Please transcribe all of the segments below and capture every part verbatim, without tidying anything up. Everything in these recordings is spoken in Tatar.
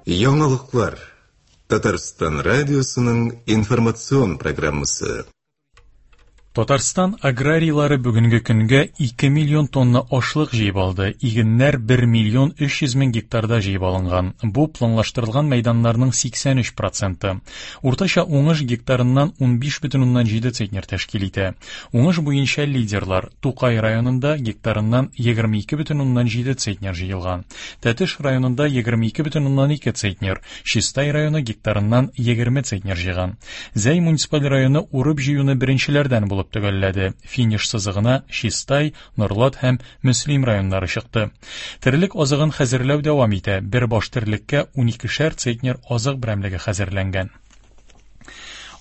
Яңалыклар. Татарстан радиосының информацион программасы. Татарстан аграрийлары бүгенге көнгә ике миллион тонна ашлык җыеп алды. Игеннәр бер миллион өч йөз мең гектарда җыеп алынган. Бу планлаштырылган мәйданнарның сиксән өч проценты. Уртача уңыш гектарыннан унбиш бөтен уннан җиде центнер тәшкил итә. Уңыш буенча лидерлар Тукай районында гектарыннан егерме ике бөтен уннан җиде центнер җыелган. Тәтеш районында егерме ике бөтен уннан ике центнер, Чистай районы гектарыннан егерме центнер җыйган. Зәй муниципаль районы урып җыюны беренчеләрдән булып төгәлләде. Финиш сызыгына Чистай, Норлат һәм Мөслим районнары чыкты. Терлек азыгын хәзерләү дәвам итә. Бер баш терлеккә уникешәр центнер азык берәмлеге хәзерләнгән.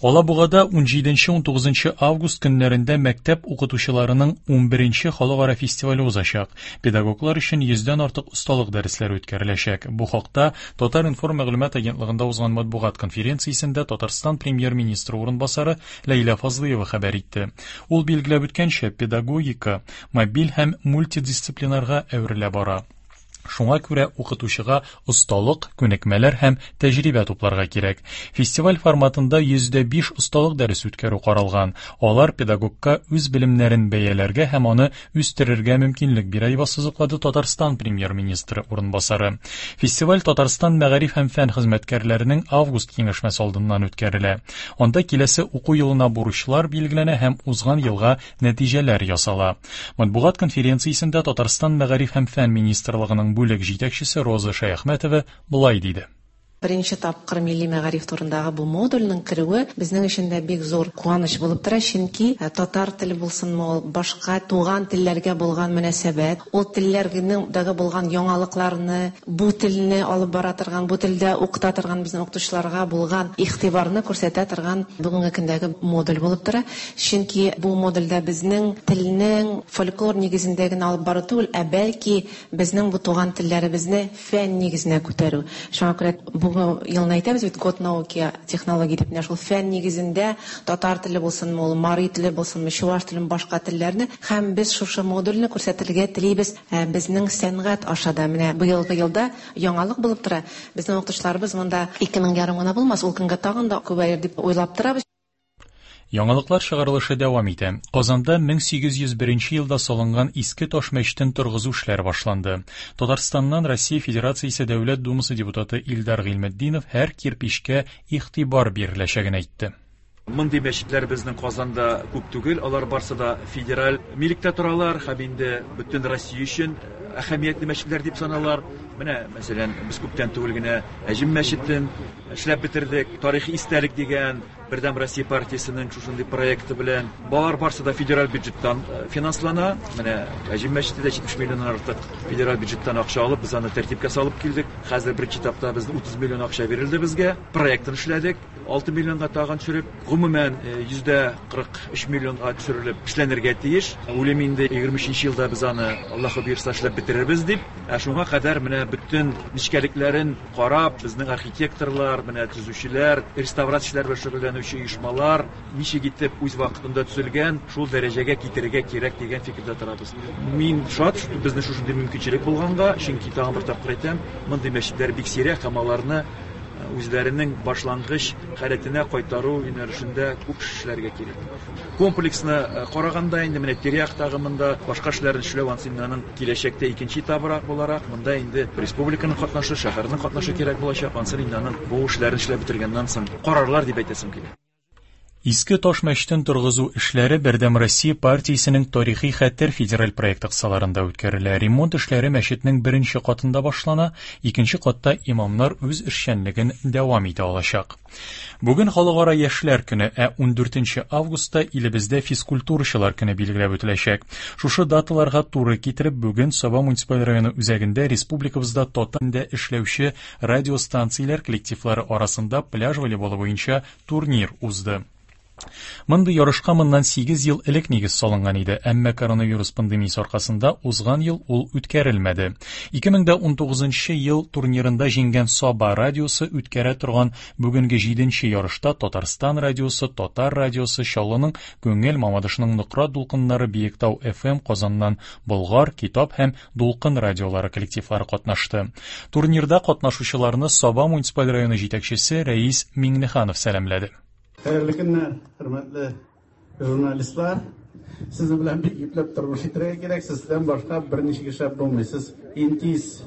Алабугада унҗиденче унтугызынчы август көннәрендә мәктәп укытучыларының унберенче халыкара фестивале узачак. Педагоглар өчен йөздән артык осталык дәресләре үткәреләчәк. Бу хакта Татар-информ мәгълүмат агентлыгында узган матбугат конференциясендә Татарстан премьер-министры урынбасары Ләйлә Фазлыева хәбәр итте. Ул билгеләп үткәнчә, педагогика мобиль һәм мультидисциплинарга әверелә бара. Шуңа күрә укытучыга осталык, күнекмәләр һәм тәҗрибә тупларга кирәк. Фестиваль форматында йөздә биш осталык дәресе үткәрү каралган. Алар педагогка үз белемнәрен бәяләргә һәм аны үстерергә мөмкинлек бирә, дип ассызыклады Татарстан премьер-министры урынбасары. Фестиваль Татарстан мәгариф һәм фән хезмәткәрләренең август киңәшмәсе алдыннан үткәрелә. Анда киләсе уку елына бурычлар билгеләнә һәм узган елга нәтиҗәләр ясала. Матбугат конференциясендә Татарстан мәгариф һәм фән министрлыгының бүлек җитәкчесе Роза Шәяхмәтова болай диде. Беренче тапкыр милли мәгариф турындагы бу модульнең керүе безнең өчен дә бик зур куаныч булып тора, чөнки татар теле булсынмы ул, башка туган телләргә булган мөнәсәбәт, ул телләрнең дагы булган яңалыкларны, бу телне алып бара торган, бу телдә укыта торган безнең укытучыларга булган игътибарны күрсәтә торган бүгенге көндәге модуль булып тора. Чөнки бу модульдә безнең телнең фольклор нигезендә генә алып бару түгел, ә бәлки безнең бу туган телләребезне фән нигезенә күтәрү. Шуңа күрә бу елны әйтәбез бит, год науки, технологии дип, менә шул фән нигезендә татар теле булсынмы ул, мари теле булсынмы, чуваш теле, башка телләрне, һәм без шушы модульне күрсәтергә телибез, ә, безнең сәнгать аша да. Менә быелгы елда яңалык булып тора. Безнең укытучыларыбыз монда ике мең ярым гына булмас, ул көнгә тагын да күбәер дип уйлап торабыз. Яңалыклар чыгарылышы дәвам итә. Казанда мең сигез йөз беренче елда салынган иске таш мәчетен торгызу эшләре башланды. Татарстаннан Россия Федерациясе Дәүләт Думасы депутаты Илдар Гыйльметдинов һәр кирпичкә игътибар биреләчәген әйтте. Мондый мәчетләр безнең Казанда күп түгел, алар барсы да федераль милектә торалар һәм инде бөтен Россия өчен әһәмиятле мәчетләр дип саналар. Менә, мәсәлән, без күптән түгел генә Әҗем мәчетен эшләп бетердек. Тарихи истәлек дигән Бердәм Россия партиясенең шушындый проекты белән. Балар барсы да федераль бюджеттан, э, финанслана. Менә Әҗем мәчете дә җитмеш миллионнан артык федераль бюджеттан акча алып, без аны тәртипкә салып килдек. Хәзер беренче этапта безнең утыз миллион акча бирелде безгә. Проектын эшләдек. Алты миллионга тагын төшереп, гомумән, э, йөздә кырык өч миллионга төшерелеп эшләнергә тиеш. Уйлыйм инде егерме өченче елда без аны Аллаһы боерса эшләп бетерербез дип. Ә шуңа кадәр менә бөтен нечкәлекләрен карап, безнең архитекторлар, менә төзүчеләр, реставрацияләр белән шөгыльләнүче оешмалар ничек итеп үз вакытында төзелгән, шул дәрәҗәгә китерергә кирәк дигән фикердә торабыз. Мин шат, что безнең шушындый мөмкинчелек булганга, чөнки тагын бер тапкыр әйтәм, мондый мәчетләр бик сирәк һәм аларны үзләренең башлангыч халәтенә кайтару юнәлешендә күп эшләргә кирәк. Комплексны, э, караганда инде менә тирә-яктагы монда башка эшләрне эшләү ансы инде аның киләчәктә икенче этабырак буларак, монда инде республиканың катнашы, шәһәрнең катнашы кирәк булачак. Ансы инде аның бу эшләрне эшләп бетергәннән соң карарлар дип әйтәсем килә. Иске таш мәчетен торгызу эшләре Бердәм Россия партиясенең Тарихи хәтер федераль проекты кысаларында үткәрелә. Ремонт эшләре мәчетнең беренче катында башлана, икенче катта имамнар үз эшчәнлеген дәвам итә алачак. Бүген Халыкара яшьләр көне, ә ундүртенче августта илебездә физкультурачылар көне билгеләп үтеләчәк. Шушы даталарга туры китереп, бүген Саба муниципаль районы үзәгендә республикабызда татар телендә эшләүче радиостанцияләр коллективлары арасында пляж волейболы буенча турнир узды. Мондый ярышка моннан сигез ел элек нигез салынган иде, әмма коронавирус пандемиясе аркасында узган ел ул үткәрелмәде. ике мең унтугызынчы ел турнирында җиңгән Саба радиосы үткәрә торган бүгенге җиденче ярышта Татарстан радиосы, Татар радиосы, Чаллының Күңел, Мамадышның Нократ дулкыннары, Биектау эф эм, Казаннан Болгар, Китап һәм Дулкын радиолары коллективлары катнашты. Турнирда катнашучыларны Саба муниципаль районы җитәкчесе Рәис Миңнеханов сәламләде. Хәерле көннәр, хөрмәтле журналистлар. Сезнең белән бик ипләп тормыш итәргә кирәк. Сездән башка берничек эшләп булмый. Сез иң тиз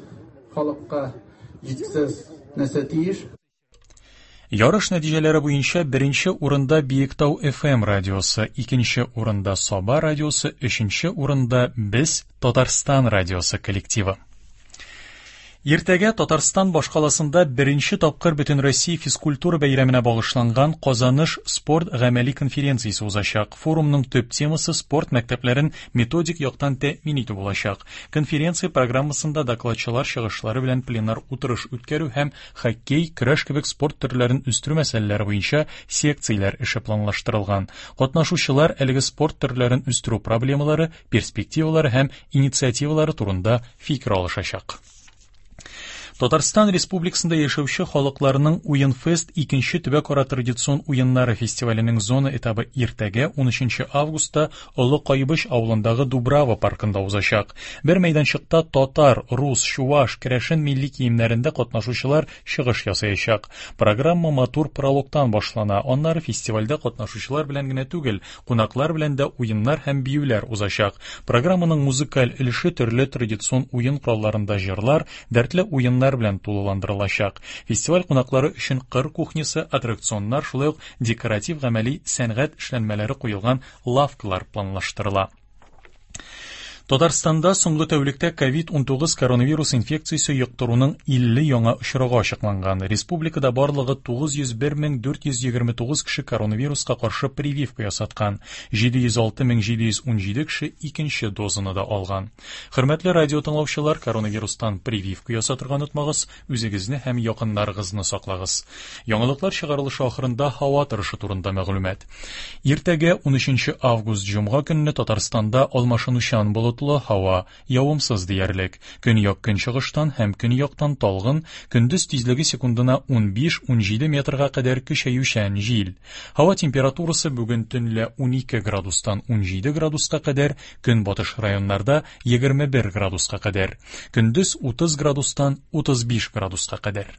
халыкка җиткезсез нәрсә тиеш. Ярыш нәтиҗәләре буенча беренче урында Биектау эф эм радиосы, икенче урында Саба радиосы, өченче урында Без Татарстан радиосы коллективы. Иртәгә Татарстан башкаласында беренче тапкыр Бөтенроссия физкультура бәйрәменә багышланган Казаныш спорт гамәли конференциясе узачак. Форумның төп темасы спорт мәктәпләрен методик яктан тәэмин итү булачак. Конференция программасында докладчылар чыгышлары белән пленар утырыш үткәрү һәм хоккей, көрәш кебек спорт төрләрен үстерү мәсьәләләре буенча секцияләр эше планлаштырылган. Катнашучылар әлеге спорт төрләрен үстерү проблемалары, перспективалары һәм инициативалары турында фикер алышачак. Татарстан Республикасында яшәүче халыкларның Уенфест икенче төбәкара традицион уеннары фестиваленең зона этабы иртәгә унөченче августта Олы Кайбыч авылындагы Дубрава паркында узачак. Бер мәйданчыкта татар, рус, чуваш, керәшен милли киемнәрендә катнашучылар чыгыш ясаячак. Программа матур прологтан башлана. Аннары фестивальдә катнашучылар белән генә түгел, кунаклар белән дә уеннар һәм биюләр узачак. Программаның музыкаль өлеше төрле традицион уен коралларында җырлар, дәртле уеннар белән тулыландырылачак. Фестиваль кунаклары өчен кыр кухнясы, аттракционнар, шулай ук декоратив гамәли сәнгать эшләнмәләре куелган лавкалар планлаштырыла. Татарстанда соңгы тәүлектә ковид унтугыз коронавирус инфекциясе йоктыруның илле яңа очрагы ачыкланган. Республикада барлыгы тугыз йөз бер мең дүрт йөз егерме тугыз кеше коронавируска каршы прививка ясаткан. Җиде йөз алты мең җиде йөз унҗиде кеше икенче дозаны да алган. Хөрмәтле радио тыңлаучылар, коронавирустан прививка ясатырга онытмагыз, үзегезне һәм якыннарыгызны саклагыз. Яңалыклар чыгарылышы ахырында һава торышы турында мәгълүмат. Иртәгә унөченче август җомга көнне Татарстанда алмашынучан болытлы һава, явымсыз диярлек. Көньяк көнчыгыштан һәм көньяктан талгын, көндез тизлеге секундына унбиш-унҗиде метрга кадәр көчәючән җил. Һава температурасы бүген төнлә унике градустан унҗиде градуска кадәр, көнбатыш районнарда егерме бер градуска кадәр. Көндез утыз градустан утыз биш градуска кадәр.